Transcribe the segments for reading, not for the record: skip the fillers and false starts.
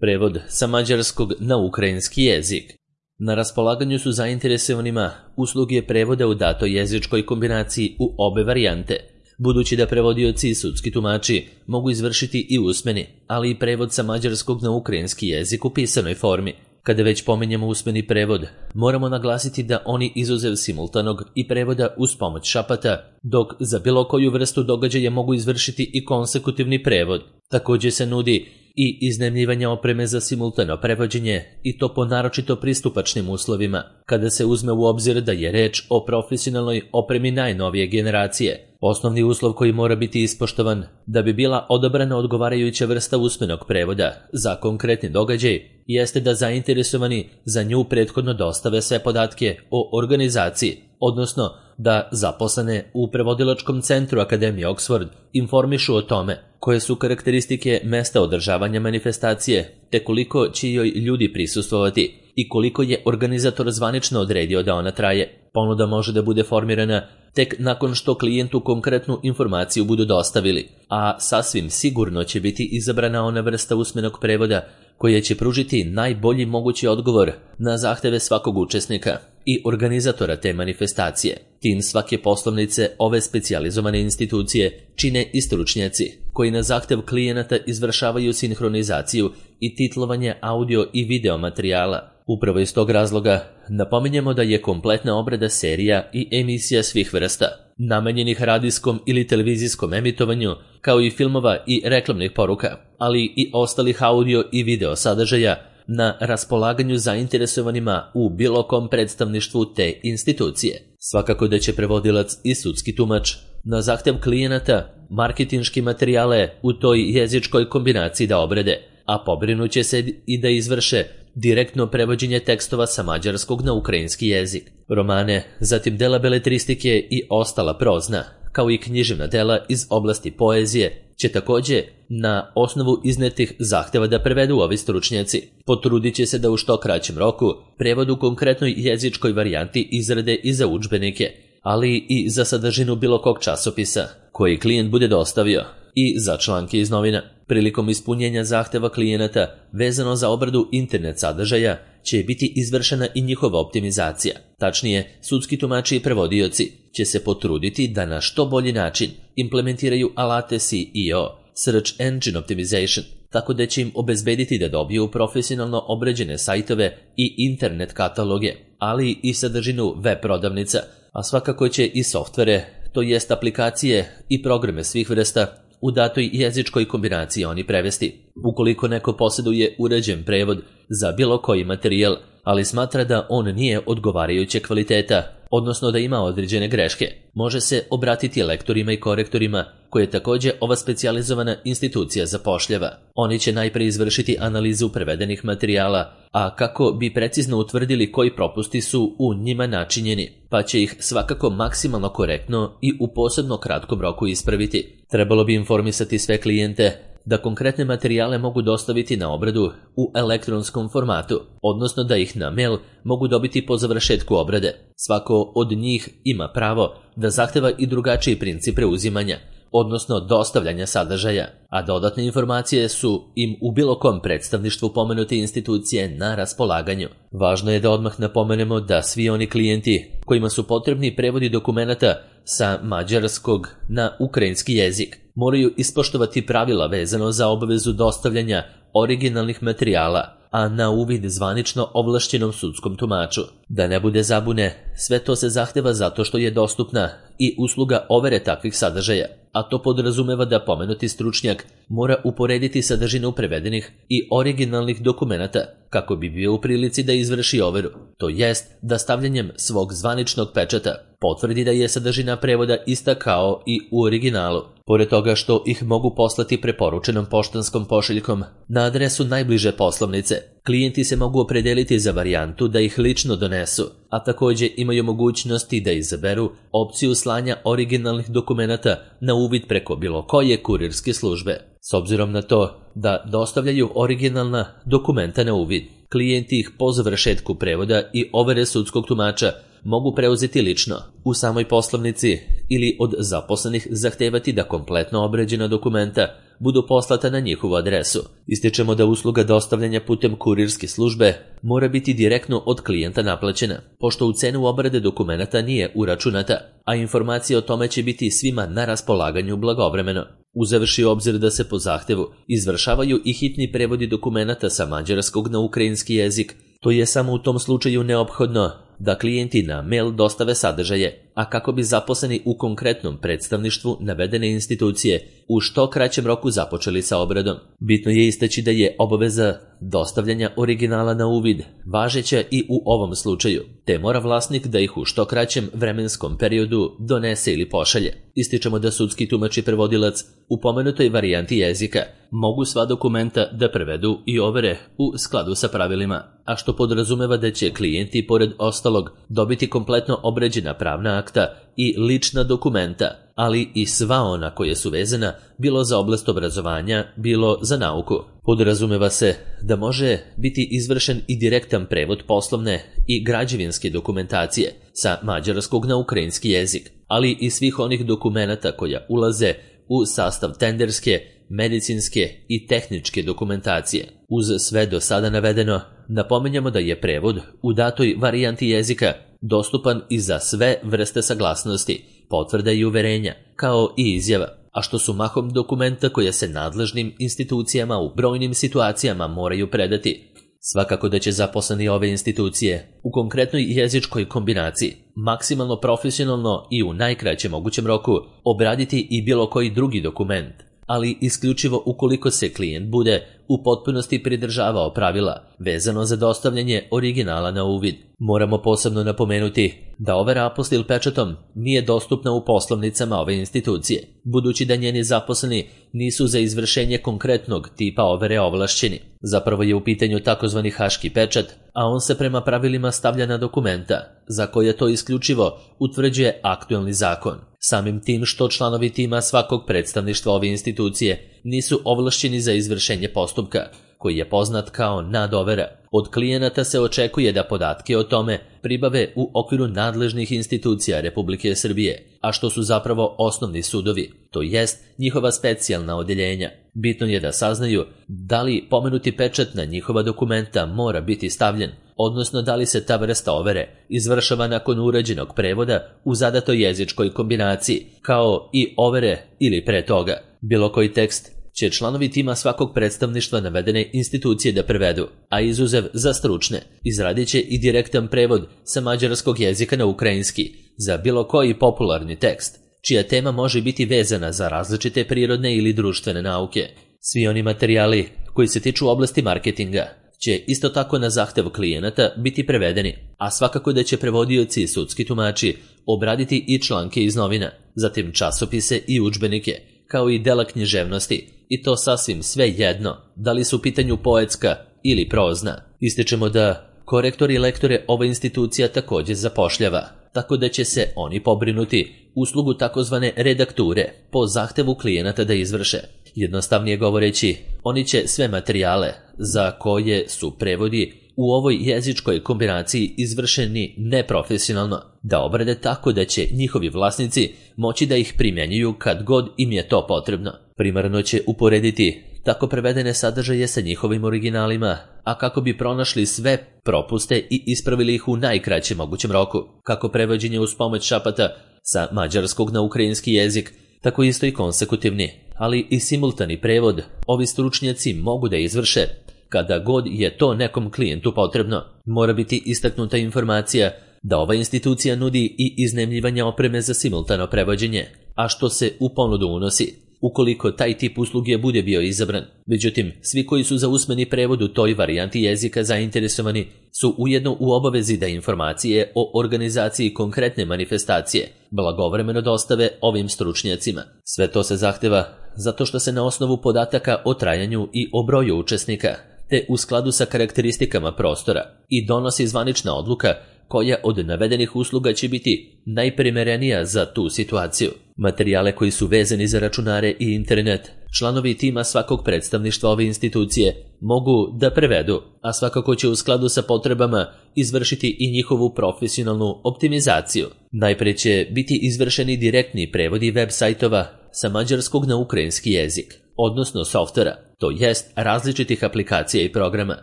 Prevod sa mađarskog na ukrajinski jezik. Na raspolaganju su zainteresovanima usluge prevoda u datoj jezičkoj kombinaciji u obe varijante, budući da prevodioci i sudski tumači mogu izvršiti i usmeni, ali i prevod sa mađarskog na ukrajinski jezik u pisanoj formi. Kada već pominjemo usmeni prevod, moramo naglasiti da oni izuzev simultanog i prevoda uz pomoć šapata, dok za bilo koju vrstu događaja mogu izvršiti i konsekutivni prevod. Također se nudi i iznajmljivanje opreme za simultano prevođenje i to po naročito pristupačnim uslovima, kada se uzme u obzir da je reč o profesionalnoj opremi najnovije generacije. Osnovni uslov koji mora biti ispoštovan da bi bila odabrana odgovarajuća vrsta usmenog prevoda za konkretni događaj jeste da zainteresovani za nju prethodno dostave sve podatke o organizaciji, odnosno da zaposlene u prevodilačkom centru Akademije Oxford informišu o tome koje su karakteristike mesta održavanja manifestacije te koliko će joj ljudi prisustvovati i koliko je organizator zvanično odredio da ona traje. Ponuda može da bude formirana tek nakon što klijentu konkretnu informaciju budu dostavili, a sasvim sigurno će biti izabrana ona vrsta usmenog prevoda koja će pružiti najbolji mogući odgovor na zahteve svakog učesnika i organizatora te manifestacije. Tim svake poslovnice ove specijalizovane institucije čine i stručnjaci koji na zahtev klijenata izvršavaju sinhronizaciju i titlovanje audio i video materijala. Upravo iz tog razloga napominjemo da je kompletna obrada serija i emisija svih vrsta, namenjenih radijskom ili televizijskom emitovanju, kao i filmova i reklamnih poruka, ali i ostalih audio i video sadržaja na raspolaganju zainteresovanima u bilo kom predstavništvu te institucije. Svakako da će prevodilac i sudski tumač na zahtev klijenata marketinški materijale u toj jezičkoj kombinaciji da obrade, a pobrinuće se i da izvrše direktno prevođenje tekstova sa mađarskog na ukrajinski jezik. Romane, zatim dela beletristike i ostala prozna, kao i književna dela iz oblasti poezije, će također na osnovu iznetih zahteva da prevedu ovi stručnjaci. Potrudit će se da u što kraćem roku prevod u konkretnoj jezičkoj varijanti izrade i za udžbenike, ali i za sadržinu bilo kog časopisa koji klijent bude dostavio i za članke iz novina. Prilikom ispunjenja zahteva klijenata vezano za obradu internet sadržaja će biti izvršena i njihova optimizacija. Tačnije, sudski tumači i prevodioci će se potruditi da na što bolji način implementiraju alate SEO, Search Engine Optimization, tako da će im obezbediti da dobiju profesionalno obrađene sajtove i internet kataloge, ali i sadržinu web prodavnica, a svakako će i softvere, to jest aplikacije i programe svih vrsta, u datoj jezičkoj kombinaciji oni prevesti. Ukoliko neko posjeduje uređen prevod za bilo koji materijal, ali smatra da on nije odgovarajuće kvaliteta, odnosno da ima određene greške, može se obratiti lektorima i korektorima koje također ova specijalizovana institucija zapošljava. Oni će najprije izvršiti analizu prevedenih materijala, a kako bi precizno utvrdili koji propusti su u njima načinjeni, pa će ih svakako maksimalno korektno i u posebno kratkom roku ispraviti. Trebalo bi informisati sve klijente da konkretne materijale mogu dostaviti na obradu u elektronskom formatu, odnosno da ih na mail mogu dobiti po završetku obrade. Svako od njih ima pravo da zahteva i drugačiji princip preuzimanja, odnosno dostavljanja sadržaja, a dodatne informacije su im u bilo kom predstavništvu pomenute institucije na raspolaganju. Važno je da odmah napomenemo da svi oni klijenti kojima su potrebni prevodi dokumenata sa mađarskog na ukrajinski jezik moraju ispoštovati pravila vezano za obavezu dostavljanja originalnih materijala, a na uvid zvanično ovlašćenom sudskom tumaču. Da ne bude zabune, sve to se zahteva zato što je dostupna i usluga overe takvih sadržaja, a to podrazumeva da pomenuti stručnjak mora uporediti sadržinu prevedenih i originalnih dokumenata kako bi bio u prilici da izvrši overu, to jest da stavljanjem svog zvaničnog pečata potvrdi da je sadržina prevoda ista kao i u originalu. Pored toga što ih mogu poslati preporučenom poštanskom pošiljkom na adresu najbliže poslovnice, klijenti se mogu opredeliti za varijantu da ih lično donesu, a također imaju mogućnosti da izaberu opciju slanja originalnih dokumenata na uvid preko bilo koje kurirske službe. S obzirom na to da dostavljaju originalna dokumenta na uvid, klijenti ih po završetku prevoda i overe sudskog tumača mogu preuzeti lično u samoj poslovnici ili od zaposlenih zahtevati da kompletno obrađena dokumenta budu poslata na njihovu adresu. Ističemo da usluga dostavljanja putem kurirske službe mora biti direktno od klijenta naplaćena, pošto u cenu obrade dokumenata nije uračunata, a informacije o tome će biti svima na raspolaganju blagovremeno. Uzevši u obzir da se po zahtevu izvršavaju i hitni prevodi dokumenata sa mađarskog na ukrajinski jezik, to je samo u tom slučaju neophodno da klijenti na mail dostave sadržaje, a kako bi zaposleni u konkretnom predstavništvu navedene institucije u što kraćem roku započeli sa obradom. Bitno je istaći da je obaveza dostavljanja originala na uvid važeća i u ovom slučaju, te mora vlasnik da ih u što kraćem vremenskom periodu donese ili pošalje. Ističemo da sudski tumač i prevodilac u pomenutoj varijanti jezika mogu sva dokumenta da prevedu i overe u skladu sa pravilima, a što podrazumeva da će klijenti pored ostalog dobiti kompletno obrađena pravna akta i lična dokumenta, ali i sva ona koje su vezana bilo za oblast obrazovanja, bilo za nauku. Podrazumeva se da može biti izvršen i direktan prevod poslovne i građevinske dokumentacije sa mađarskog na ukrajinski jezik, ali i svih onih dokumenata koja ulaze u sastav tenderske, medicinske i tehničke dokumentacije. Uz sve do sada navedeno, napominjamo da je prevod u datoj varijanti jezika dostupan i za sve vrste saglasnosti, potvrda i uverenja, kao i izjava, a što su mahom dokumenta koje se nadležnim institucijama u brojnim situacijama moraju predati. Svakako da će zaposleni ove institucije u konkretnoj jezičkoj kombinaciji maksimalno profesionalno i u najkraćem mogućem roku obraditi i bilo koji drugi dokument, ali isključivo ukoliko se klijent bude u potpunosti pridržavao pravila vezano za dostavljanje originala na uvid. Moramo posebno napomenuti da overa apostil pečatom nije dostupna u poslovnicama ove institucije, budući da njeni zaposleni nisu za izvršenje konkretnog tipa overe ovlašćeni. Zapravo je u pitanju takozvani haški pečat, a on se prema pravilima stavlja na dokumenta, za koje to isključivo utvrđuje aktuelni zakon. Samim tim što članovi tima svakog predstavništva ove institucije nisu ovlašćeni za izvršenje postupka, koji je poznat kao nadovera. Od klijenata se očekuje da podatke o tome pribave u okviru nadležnih institucija Republike Srbije, a što su zapravo osnovni sudovi, to jest njihova specijalna odeljenja. Bitno je da saznaju da li pomenuti pečat na njihova dokumenta mora biti stavljen, odnosno da li se ta vrsta overe izvršava nakon urađenog prevoda u zadatoj jezičkoj kombinaciji, kao i overe ili pre toga. Bilo koji tekst će članovi tima svakog predstavništva navedene institucije da prevedu, a izuzev za stručne, izradit će i direktan prevod sa mađarskog jezika na ukrajinski za bilo koji popularni tekst, čija tema može biti vezana za različite prirodne ili društvene nauke. Svi oni materijali koji se tiču oblasti marketinga će isto tako na zahtev klijenata biti prevedeni, a svakako da će prevodioci i sudski tumači obraditi i članke iz novina, zatim časopise i udžbenike, kao i dela književnosti, i to sasvim sve jedno, da li su u pitanju poetska ili prozna. Ističemo da korektori i lektore ova institucija također zapošljava, tako da će se oni pobrinuti uslugu takozvane redakture po zahtevu klijenata da izvrše. Jednostavnije govoreći, oni će sve materijale za koje su prevodi u ovoj jezičkoj kombinaciji izvršeni neprofesionalno da obrade tako da će njihovi vlasnici moći da ih primjenjuju kad god im je to potrebno. Primarno će uporediti tako prevedene sadržaje sa njihovim originalima, a kako bi pronašli sve propuste i ispravili ih u najkraćem mogućem roku. Kako prevođenje uz pomoć šapata sa mađarskog na ukrajinski jezik, tako isto i konsekutivni, ali i simultani prevod ovi stručnjaci mogu da izvrše kada god je to nekom klijentu potrebno. Mora biti istaknuta informacija da ova institucija nudi i iznajmljivanje opreme za simultano prevođenje, a što se u ponudu unosi ukoliko taj tip usluge bude bio izabran. Međutim, svi koji su za usmeni prevod u toj varijanti jezika zainteresovani su ujedno u obavezi da informacije o organizaciji konkretne manifestacije blagovremeno dostave ovim stručnjacima. Sve to se zahteva zato što se na osnovu podataka o trajanju i o broju učesnika, te u skladu sa karakteristikama prostora, i donosi zvanična odluka koja od navedenih usluga će biti najprimerenija za tu situaciju. Materijale koji su vezani za računare i internet, članovi tima svakog predstavništva ove institucije mogu da prevedu, a svakako će u skladu sa potrebama izvršiti i njihovu profesionalnu optimizaciju. Najpre će biti izvršeni direktni prevodi web sajtova sa mađarskog na ukrajinski jezik, odnosno softvera, to jest različitih aplikacija i programa,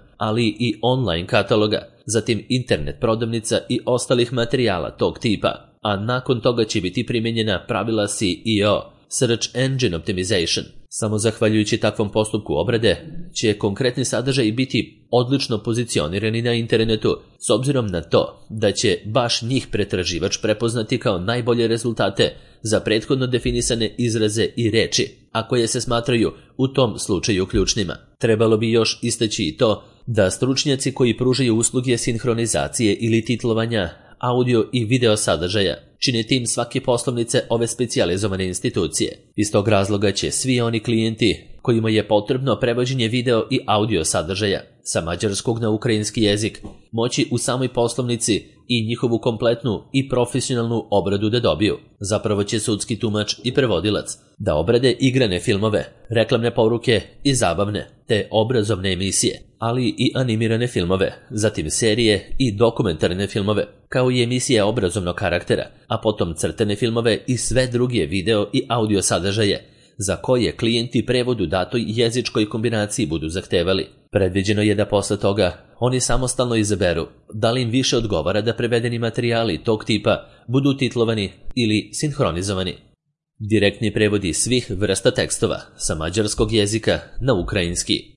ali i online kataloga, zatim internet prodavnica i ostalih materijala tog tipa, a nakon toga će biti primijenjena pravila SEO, Search Engine Optimization. Samo zahvaljujući takvom postupku obrade će konkretni sadržaj biti odlično pozicionirani na internetu, s obzirom na to da će baš njih pretraživač prepoznati kao najbolje rezultate za prethodno definisane izraze i reči, a koje se smatraju u tom slučaju ključnima. Trebalo bi još istaći i to da stručnjaci koji pružaju usluge sinhronizacije ili titlovanja audio i video sadržaja čine tim svake poslovnice ove specijalizovane institucije. Iz tog razloga će svi oni klijenti kojima je potrebno prevođenje video i audio sadržaja sa mađarskog na ukrajinski jezik moći u samoj poslovnici i njihovu kompletnu i profesionalnu obradu da dobiju. Zapravo će sudski tumač i prevodilac da obrade igrane filmove, reklamne poruke i zabavne te obrazovne emisije, ali i animirane filmove, zatim serije i dokumentarne filmove, kao i emisije obrazovnog karaktera, a potom crtane filmove i sve druge video i audio sadržaje za koje klijenti prevod u datoj jezičkoj kombinaciji budu zahtevali. Predviđeno je da posle toga oni samostalno izaberu da li im više odgovara da prevedeni materijali tog tipa budu titlovani ili sinhronizovani. Direktni prevodi svih vrsta tekstova sa mađarskog jezika na ukrajinski.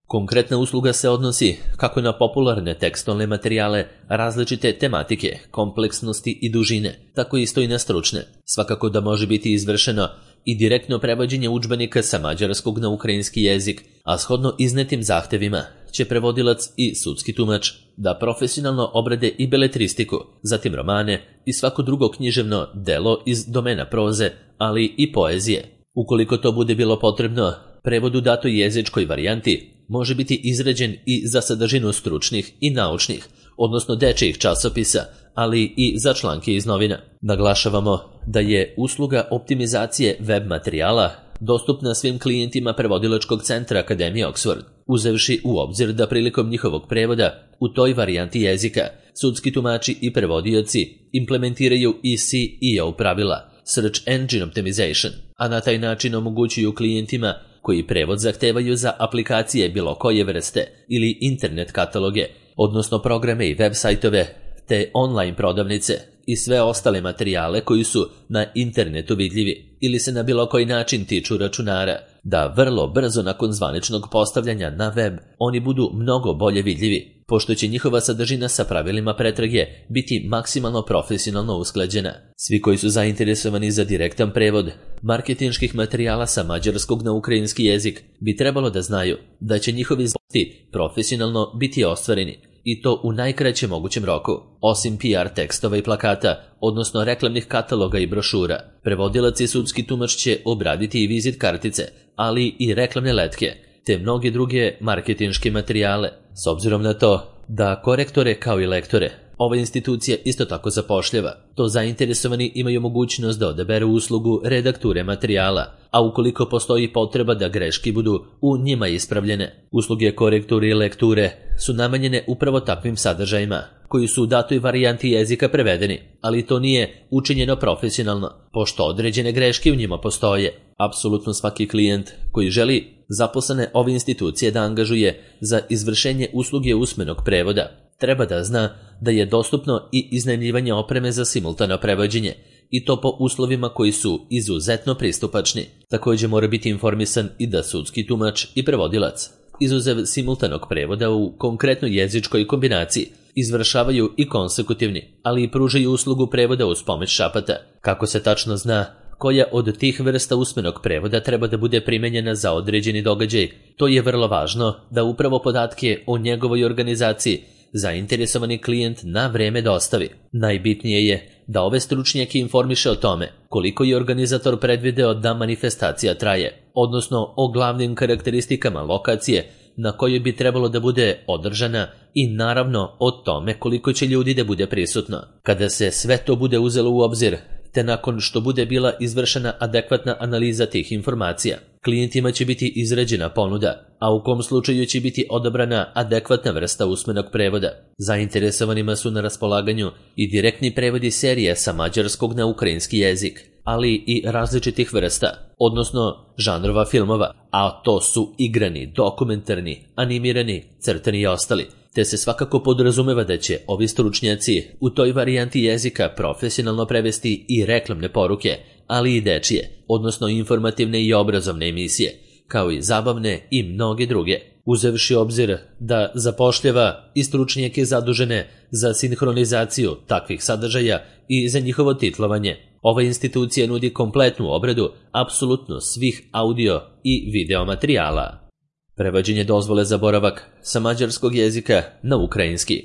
Konkretna usluga se odnosi kako na popularne tekstualne materijale različite tematike, kompleksnosti i dužine, tako isto i na stručne. Svakako da može biti izvršeno i direktno prevođenje udžbenika sa mađarskog na ukrajinski jezik, a shodno iznetim zahtevima će prevodilac i sudski tumač da profesionalno obrade i beletristiku, zatim romane i svako drugo književno delo iz domena proze, ali i poezije. Ukoliko to bude bilo potrebno, prevod u datoj jezičkoj varijanti može biti izrađen i za sadržinu stručnih i naučnih, odnosno dečijih časopisa, ali i za članke iz novina. Naglašavamo da je usluga optimizacije web materijala dostupna svim klijentima prevodilačkog centra Akademije Oxford, uzevši u obzir da prilikom njihovog prevoda u toj varijanti jezika sudski tumači i prevodioci implementiraju i SEO pravila, Search Engine Optimization, a na taj način omogućuju klijentima koji prevod zahtevaju za aplikacije bilo koje vrste ili internet kataloge, odnosno programe i web sajtove, te online prodavnice i sve ostale materijale koji su na internetu vidljivi ili se na bilo koji način tiču računara, da vrlo brzo nakon zvaničnog postavljanja na web oni budu mnogo bolje vidljivi, pošto će njihova sadržina sa pravilima pretrage biti maksimalno profesionalno usklađena. Svi koji su zainteresovani za direktan prevod marketinških materijala sa mađarskog na ukrajinski jezik bi trebalo da znaju da će njihovi zboti profesionalno biti ostvareni, i to u najkraćem mogućem roku. Osim PR tekstova i plakata, odnosno reklamnih kataloga i brošura, prevodilac i sudski tumač će obraditi i vizit kartice, ali i reklamne letke, te mnoge druge marketinške materijale. S obzirom na to da korektore kao i lektore ova institucija isto tako zapošljava, to zainteresovani imaju mogućnost da odaberu uslugu redakture materijala, a ukoliko postoji potreba da greške budu u njima ispravljene. Usluge korekture i lekture su namenjene upravo takvim sadržajima koji su u datoj varijanti jezika prevedeni, ali to nije učinjeno profesionalno, pošto određene greške u njima postoje. Apsolutno svaki klijent koji želi zaposlene ove institucije da angažuje za izvršenje usluge usmenog prevoda treba da zna da je dostupno i iznajmljivanje opreme za simultano prevođenje, i to po uslovima koji su izuzetno pristupačni. Također mora biti informisan i da sudski tumač i prevodilac, izuzev simultanog prevoda u konkretnoj jezičkoj kombinaciji, izvršavaju i konsekutivni, ali i pružaju uslugu prevoda uz pomoć šapata. Kako se tačno zna koja od tih vrsta usmenog prevoda treba da bude primenjena za određeni događaj, to je vrlo važno da upravo podatke o njegovoj organizaciji zainteresovani klijent na vreme dostavi. Najbitnije je da ove stručnjake informiše o tome koliko je organizator predvideo da manifestacija traje, odnosno o glavnim karakteristikama lokacije na kojoj bi trebalo da bude održana i naravno o tome koliko će ljudi da bude prisutno. Kada se sve to bude uzelo u obzir, te nakon što bude bila izvršena adekvatna analiza tih informacija, klijentima će biti izrađena ponuda, a u kom slučaju će biti odabrana adekvatna vrsta usmenog prevoda. Zainteresovanima su na raspolaganju i direktni prevodi serije sa mađarskog na ukrajinski jezik, ali i različitih vrsta, odnosno žanrova filmova, a to su igrani, dokumentarni, animirani, crtani i ostali, te se svakako podrazumeva da će ovi stručnjaci u toj varijanti jezika profesionalno prevesti i reklamne poruke, ali i dečije, odnosno informativne i obrazovne emisije, kao i zabavne i mnoge druge, uzevši obzir da zapošljava i stručnjake zadužene za sinhronizaciju takvih sadržaja i za njihovo titlovanje. Ova institucija nudi kompletnu obradu apsolutno svih audio i video materijala. Prevođenje dozvole za boravak sa mađarskog jezika na ukrajinski.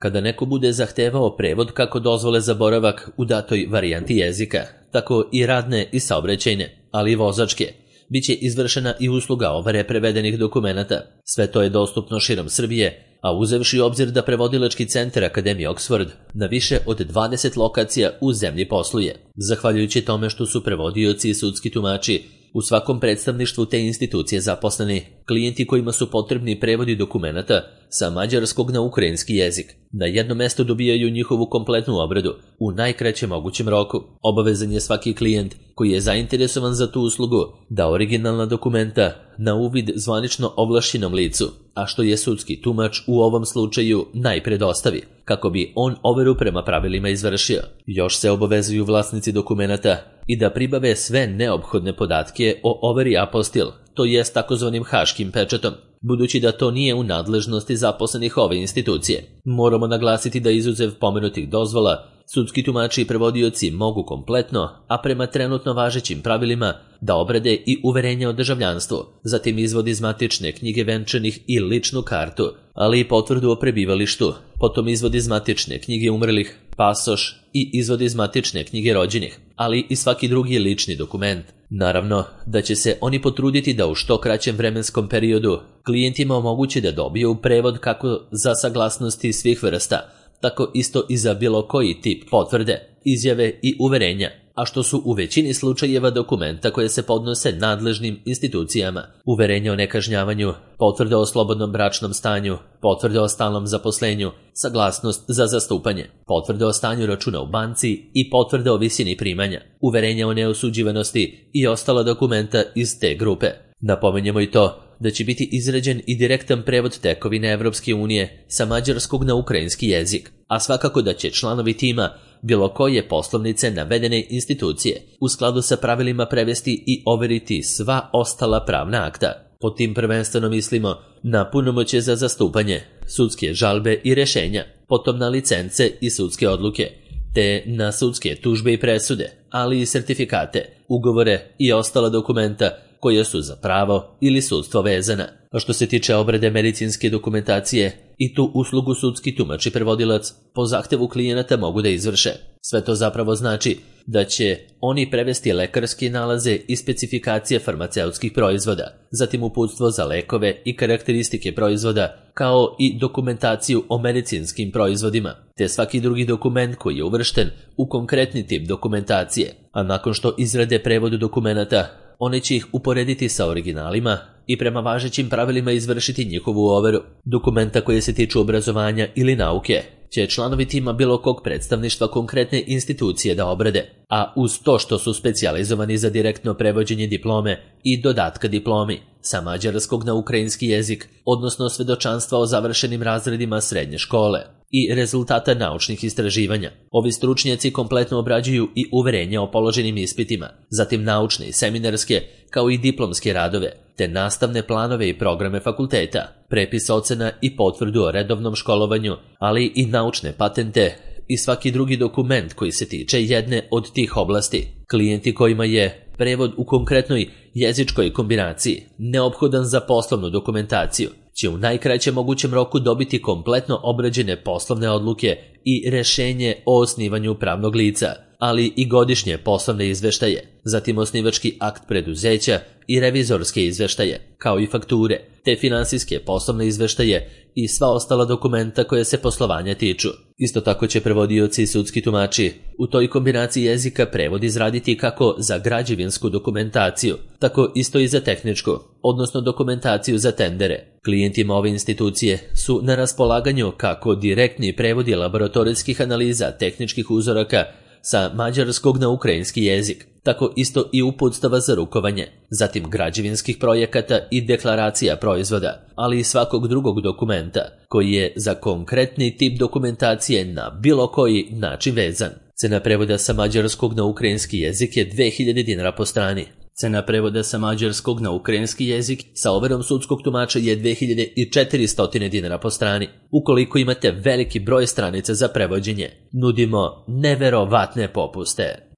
Kada neko bude zahtevao prevod kako dozvole za boravak u datoj varijanti jezika, tako i radne i saobraćajne, ali i vozačke, biće izvršena i usluga overe prevedenih dokumenata. Sve to je dostupno širom Srbije, a uzevši obzir da prevodilački centar Akademije Oxford na više od 20 lokacija u zemlji posluje. Zahvaljujući tome što su prevodioci i sudski tumači u svakom predstavništvu te institucije zaposleni, klijenti kojima su potrebni prevodi dokumenata sa mađarskog na ukrajinski jezik na jednom mestu dobijaju njihovu kompletnu obradu u najkraćem mogućem roku. Obavezan je svaki klijent koji je zainteresovan za tu uslugu da originalna dokumenta na uvid zvanično ovlašćenom licu, a što je sudski tumač u ovom slučaju, najpre dostavi, kako bi on overu prema pravilima izvršio. Još se obavezuju vlasnici dokumenata i da pribave sve neophodne podatke o overi apostil, to jest takozvanim haškim pečatom. Budući da to nije u nadležnosti zaposlenih ove institucije, moramo naglasiti da izuzev pomenutih dozvola, sudski tumači i prevodioci mogu kompletno, a prema trenutno važećim pravilima, da obrade i uverenje o državljanstvu, zatim izvod iz matične knjige venčanih i ličnu kartu, ali i potvrdu o prebivalištu, potom izvod iz matične knjige umrlih, pasoš i izvod iz matične knjige rođenih, ali i svaki drugi lični dokument. Naravno da će se oni potruditi da u što kraćem vremenskom periodu klijentima omoguće da dobiju prevod kako za saglasnosti svih vrsta, tako isto i za bilo koji tip potvrde, izjave i uverenja, a što su u većini slučajeva dokumenta koje se podnose nadležnim institucijama, uverenje o nekažnjavanju, potvrde o slobodnom bračnom stanju, potvrde o stalnom zaposlenju, saglasnost za zastupanje, potvrde o stanju računa u banci i potvrde o visini primanja, uverenja o neosuđivanosti i ostala dokumenta iz te grupe. Napominjemo i to da će biti izrađen i direktan prevod tekovine Evropske unije sa mađarskog na ukrajinski jezik, a svakako da će članovi tima bilo koje poslovnice navedene institucije u skladu sa pravilima prevesti i overiti sva ostala pravna akta. Pod tim prvenstveno mislimo na punomoćje za zastupanje, sudske žalbe i rešenja, potom na licence i sudske odluke, te na sudske tužbe i presude, ali i sertifikate, ugovore i ostala dokumenta koje su za pravo ili sudstvo vezana. A što se tiče obrade medicinske dokumentacije, i tu uslugu sudski tumač i prevodilac po zahtevu klijenata mogu da izvrše. Sve to zapravo znači da će oni prevesti lekarske nalaze i specifikacije farmaceutskih proizvoda, zatim uputstvo za lekove i karakteristike proizvoda, kao i dokumentaciju o medicinskim proizvodima, te svaki drugi dokument koji je uvršten u konkretni tip dokumentacije, a nakon što izrade prevod dokumenata, oni će ih uporediti sa originalima i prema važećim pravilima izvršiti njihovu overu. Dokumenta koje se tiču obrazovanja ili nauke će članovi tima bilo kog predstavništva konkretne institucije da obrade, a uz to što su specijalizovani za direktno prevođenje diplome i dodatka diplomi sa mađarskog na ukrajinski jezik, odnosno svedočanstva o završenim razredima srednje škole i rezultata naučnih istraživanja. Ovi stručnjaci kompletno obrađuju i uverenja o položenim ispitima, zatim naučne i seminarske, kao i diplomske radove, te nastavne planove i programe fakulteta, prepis ocena i potvrdu o redovnom školovanju, ali i naučne patente i svaki drugi dokument koji se tiče jedne od tih oblasti. Klijenti kojima je prevod u konkretnoj jezičkoj kombinaciji neophodan za poslovnu dokumentaciju će u najkraćem mogućem roku dobiti kompletno obrađene poslovne odluke i rešenje o osnivanju pravnog lica, ali i godišnje poslovne izveštaje, zatim osnivački akt preduzeća i revizorske izveštaje, kao i fakture, te finansijske poslovne izveštaje i sva ostala dokumenta koje se poslovanja tiču. Isto tako će prevodioci i sudski tumači u toj kombinaciji jezika prevod izraditi kako za građevinsku dokumentaciju, tako isto i za tehničku, odnosno dokumentaciju za tendere. Klijentima ove institucije su na raspolaganju kako direktni prevodi laboratorijskih analiza tehničkih uzoraka sa mađarskog na ukrajinski jezik, tako isto i uputstava za rukovanje, zatim građevinskih projekata i deklaracija proizvoda, ali i svakog drugog dokumenta koji je za konkretni tip dokumentacije na bilo koji način vezan. Cena prevoda sa mađarskog na ukrajinski jezik je 2000 dinara po strani. Cena prevoda sa mađarskog na ukrajinski jezik sa overom sudskog tumača je 2400 dinara po strani. Ukoliko imate veliki broj stranica za prevođenje, nudimo neverovatne popuste.